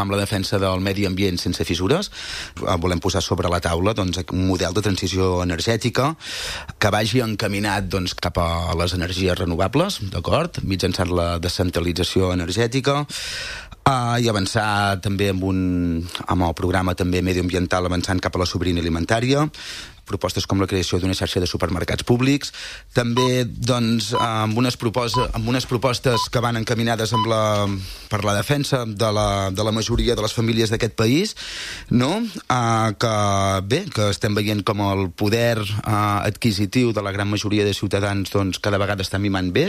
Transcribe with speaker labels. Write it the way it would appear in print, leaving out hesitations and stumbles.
Speaker 1: amb la defensa del medi ambient sense fissures. Volem posar sobre la taula doncs, un model de transició energètica que vagi encaminat doncs, cap a les energies renovables, d'acord? Mitjançant la descentralització energètica, i avançar també amb el programa també medioambiental avançant cap a la sobirania alimentària, propostes com la creació d'una xarxa de supermercats públics, també doncs, amb unes propostes que van encaminades per la defensa de la majoria de les famílies d'aquest país, no? Que estem veient com el poder adquisitiu de la gran majoria de ciutadans doncs, cada vegada està mimant més,